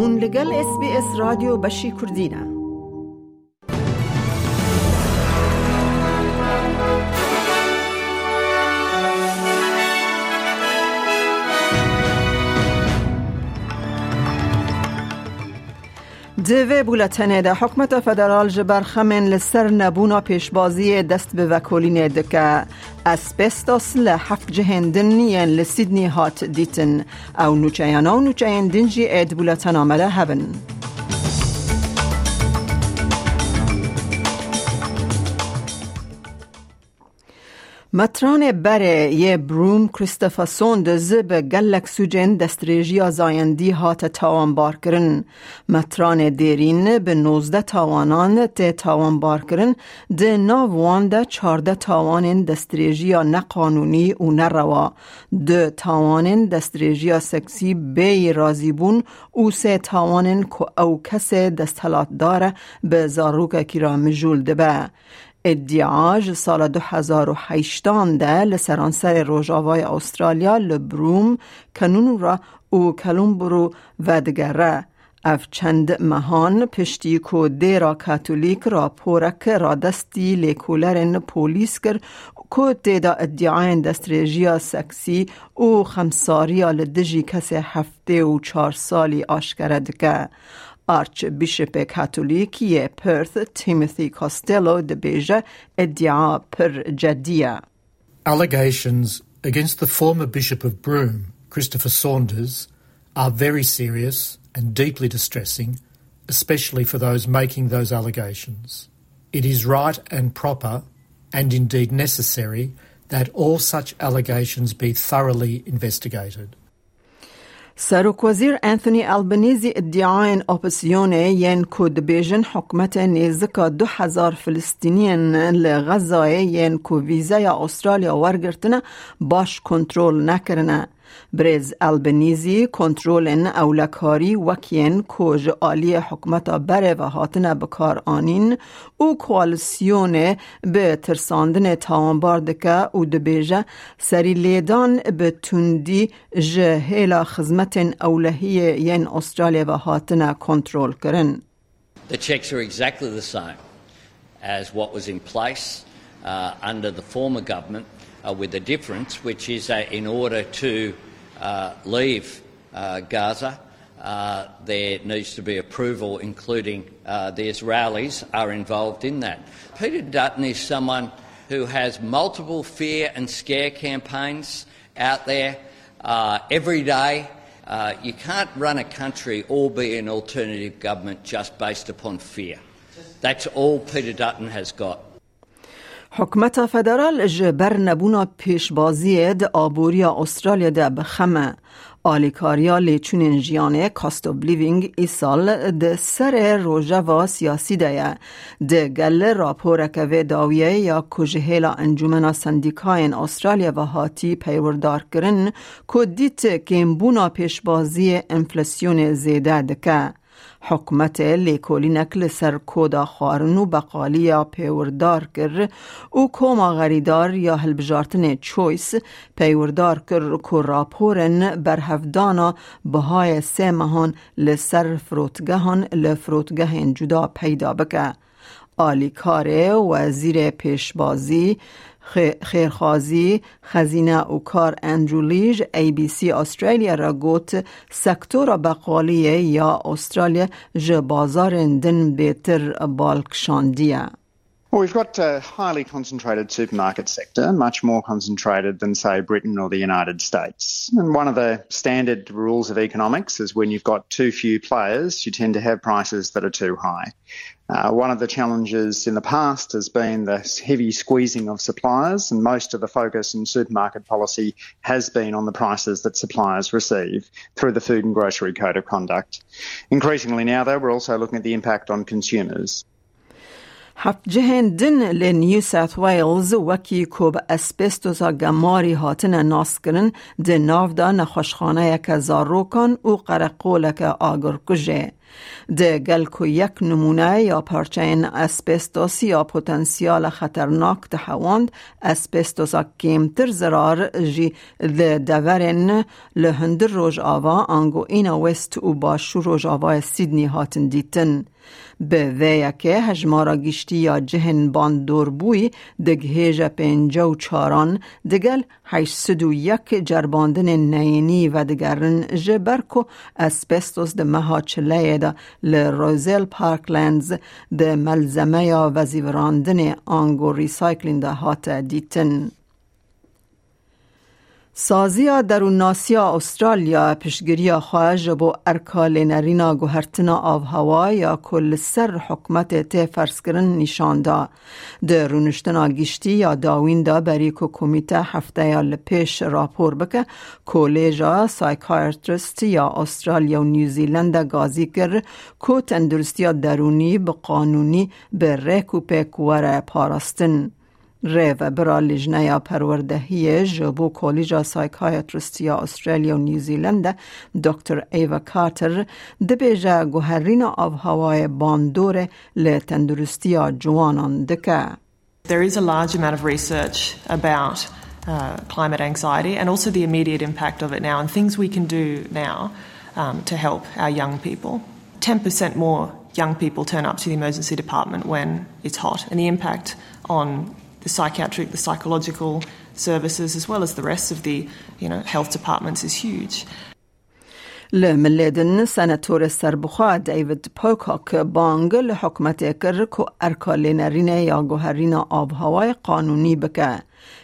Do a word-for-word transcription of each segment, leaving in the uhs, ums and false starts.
Hûn li gel S B S Radyo Beşî Kurdî ne. Di vê bûletenê de hikûmeta federal ji ber xemên li ser nebûna pêşbaziyê dest bi vekolînê dike. Asbestos li heft cihên din yên li Sydney hat dîtin. Ew nûçeyana û nûçeyên din jî ê di bûletena me de hebin. Metranê berê yê Broome Christopher Saunders bi gelek sûcên destdirêjiya zayendî hate tawanbarkirin. Metranê dêrîn bi nozdeh tawanan tê tawanbarkirin, di nav wan de çardeh tawanên destdirêjiya neqanûnî û nerewa, du tawanên destdirêjiya seksî bêyî razîbûn û sê tawanên ku ew kesê desthilatdar e bi zarokekî re mijûl dibe. Îdia ji sala du hezar û heştan de li seranserê Rojavayê Astralya li Broome, Canoora û Kellumbru vedigere. Ev çend mehan piştî ku dêra Katolîk raporek radestî lêkolerên polîs kir ku tê de îdiayên destdirêjiya seksî û xemsariya li dijî kesê heftê û çar salî aşkere dike. Archbîşopê Katolîk yê Perth, Timothy Costello, dibêje, îdia pir cedî ye. Allegations against the former Bishop of Broome, Christopher Saunders, are very serious and deeply distressing, especially for those making those allegations. It is right and proper, and indeed necessary, that all such allegations be thoroughly investigated. Serokwezîr Anthony Albanese îdiayên opozîsyonê yên ku dibêjin hikûmetê nêzika du hezar Filistîniyên li Xezayê yên ku vîzeya Astralya wergirtine baş kontrol nekirine. Birêz Albanese kontrolên ewlekarî wek yên ku ji aliyê hikûmeta berê ve hatine bikaranîn û koalîsyonê bi tirsandinê tawanbar dike û dibêje, serîlêdan bi tundî ji hêla xizmetên ewlehiyê yên Astralya ve hatine kontrolkirin. The checks are exactly the same as what was in place, uh, under the former government, uh, with a difference, which is that in order to, uh, leave, uh, Gaza, uh, there needs to be approval, including, uh, the Israelis are involved in that. Peter Dutton is someone who has multiple fear and scare campaigns out there, uh, every day. Uh, you can't run a country or be an alternative government just based upon fear. That's all Peter Dutton has got. Hikûmeta federal ji ber nebûna pêşbaziyê di aboriya Astralya de bi xem e. Alîkariya lêçûnên jiyanê, cost of living, îsal di serê rojeva siyasî de ye. Di gel raporeke vê dawiyê ya ku ji hêla Encûmena Sendîkayên Astralya ve hatî peywirdarkirin, ku dît kêmbûna pêşbaziyê enflasyonê zêde dike. Hikûmetê lêkolînek li ser koda xwarin û beqaliya pêwirdar kir û koma xerîdar ya hilbijartinê Choice peywirdarkir ku raporên berhevdana bihayê sê mehan li ser firotgehan li firotgehên cuda peyda bike. Alîkarê Wezîrê Pêşbazî, Xê-, Xêrxwazî, Xezîne û Kar Andrew Leigh ji A B C Australia re got, sektora beqaliyê ya Australia ji bazarên din bêtir bal kişandiye. Well, we've got a highly concentrated supermarket sector, much more concentrated than, say, Britain or the United States. And one of the standard rules of economics is when you've got too few players, you tend to have prices that are too high. Uh, one of the challenges in the past has been the heavy squeezing of suppliers, and most of the focus in supermarket policy has been on the prices that suppliers receive through the Food and Grocery Code of Conduct. Increasingly now, though, we're also looking at the impact on consumers. Heft cihên din li New South Wales wekî ku bi asbestosa gemarî hatine naskirin, di nav de nexweşxaneyeke zarokan û qereqoleke agirkujê. Di gel ku yek nimûne ya parçeyên asbestos ya potensiyala xeternak dihewand, asbestosa kêmtir zirar jî li deverên li hundir rojava ango îna west û başûr rojavayê Sydney hatin dîtin. Bi vê yekê hejmara giştî ya cihên bandorbûyî digihêje pêncî û çaran, digel heşt sed û yek cerbandinên neyînî vedigerin, ji ber ku asbestos di meha çileyê de li Roselle Parklands di melzemeya vezîvirandinê ango recycling de hate dîtin. Saziya Derûnnasiya Australya piştgiriya xwe ji bo erka lênerîna guhertina avhewa ya ku li ser hikûmetê tê ferzkirin nîşan da. Di rûniştina giştî ya dawîn de berî ku komîte hefteya li pêş rapor bike, Kolêja Psychiatrist ya Australya û New Zealand de gazî kir ku tenduristiya derûnî bi qanûnî bi rêk û pêk were parastin. Rêvebira Lijneya Perwerdehiyê ji bo Kolîja Psychiatrist ya Australia û New Zealand de Doktor Ava Carter dibêje guherîna avhewayê bandorê li tenduristiya ciwanan dike. There is a large amount of research about uh, climate anxiety and also the immediate impact of it now and things we can do now um, to help our young people. Ten percent more young people turn up to the emergency department when it's hot, and the impact on the psychiatric, the psychological services, as well as the rest of the you know, health departments, is huge. Li milê din senatorê serbixwe David Pocock bang li hikûmetê kir ku erka lênerînê ya guherîna avhewayê qanûnî bike.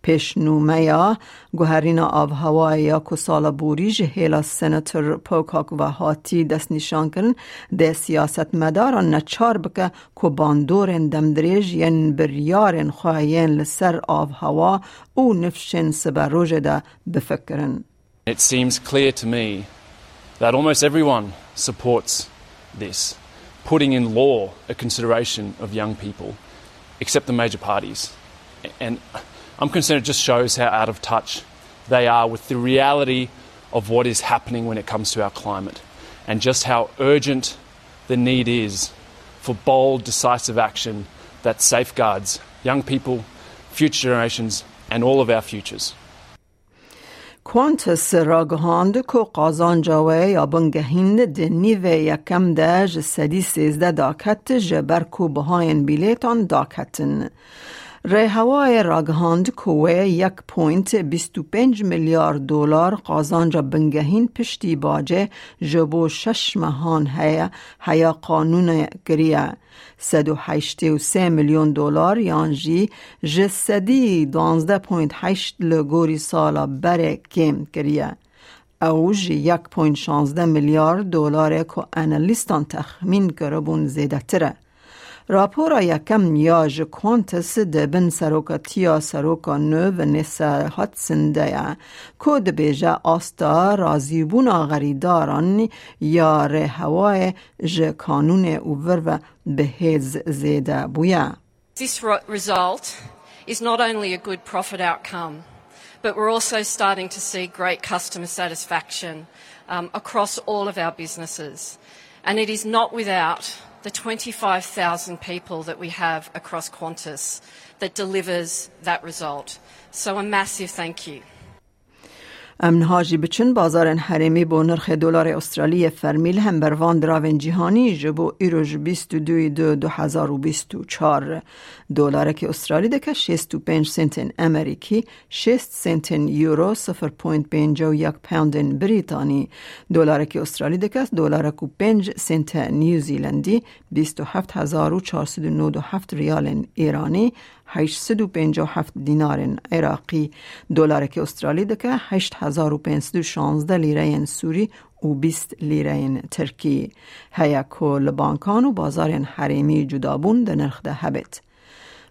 Pêşnûmeya guherîna avhewayê ya ku sala borî ji hêla senator Pocock ve hatî destnîşankirin, dê siyasetmedaran neçar bike ku bandorên demdirêj yên biryarên xwe yên li ser avhewa û nifşên siberojê de bifikirin. It seems clear to me that almost everyone supports this, putting in law a consideration of young people, except the major parties. And I'm concerned it just shows how out of touch they are with the reality of what is happening when it comes to our climate and just how urgent the need is for bold, decisive action that safeguards young people, future generations, and all of our futures. Qantas ragihand ku qazanca wê ya bingehîn di nîvê yekem de ji sedî sêzdeh daket, ji ber ku bihayên bîlêtan daketin. Rêhewayê ragihand ku wê yek point bîst û pênc milyar dolar qazanca bingehîn piştî bacê ji bo şeş mehan heye, heya qanûnê kiriye. Sed û heştê û sê milyon dolar yan jî ji sedî duwazdeh point heşt li gorî sala berê kêm kiriye. Ew ji yek point şazdeh milyar dolarê ku analîstan texmîn kiribûn zêdetir e. Rapora yekem ya ji Qantas di bin serokatiya seroka nû Vanessa Hudson de ye, ku dibêje asta razîbûna xerîdaran ya rêhewayê ji kanûnê û vir ve bi hêz zêde bûye. This ro- result is not only a good profit outcome, but we're also starting to see great customer satisfaction um, across all of our businesses. And it is not without the twenty-five thousand people that we have across Qantas that delivers that result. So a massive thank you. Em niha jî biçin bazarên herêmî bo nirxê dolarê Australiyê fermî li hember van diravên cîhanî ji bo îro ji bîst û duyê du du hezar û bîst û çar. Dolarekî Australî dike şêst û pênc sentên Amerîkî, şêst sentên Euro, sifir point pênc û yek poundên Brîtanî. Dolarekî Australî dike dolarek û pênc sente New Zealandî, bîst û heft hezar û çar sed û nod û heft riyalên Îranî, heşt sed û pêncî û heft dînarên Iraqî. Dolarekî Australî dike heşt hezar û pênc sed û şazdeh lîreyên Sûrî û bîst lîreyên Tirkî. Heye ku li bankan û bazarên herêmî cudabûn di nirx de hebêt.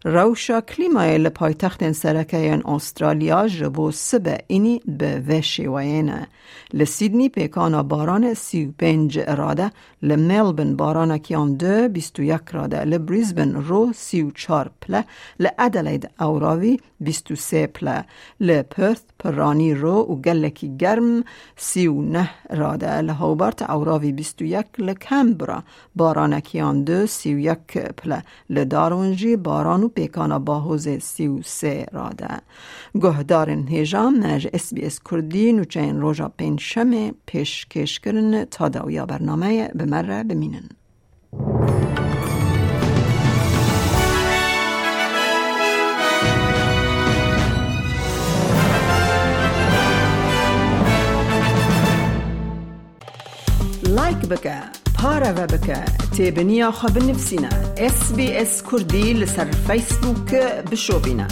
Rewşa klîmayê li paytextên sereke yên Astralya ji bo sibe înî bi vê şêweyê ne. Li Sydney pêkana baranê sî û pênc rade, li Melbourne baranekî yan du bîst û yek rade, li Brisbane ro sî û çar pile, li Adelaide ewravî bîst û sê pile, li Perth piranî ro û gelekî germ sî û neh rade, li Hobart ewravî bîst û yek, li Canberra baranekî yan du sî û yek pile, li Darwin jî baran û pêkana bahozê sî û sê rade. Guhdarên hêja me ji S B S Kurdî nûçeyên roja pêncşemê pêşkêş kirin. Ta dawiya bernameyê bi me re bimînin. Like bike, pareve bike, têbiniya xwe binivîsîne. S B S Kurdî li ser Facebook bişopîne.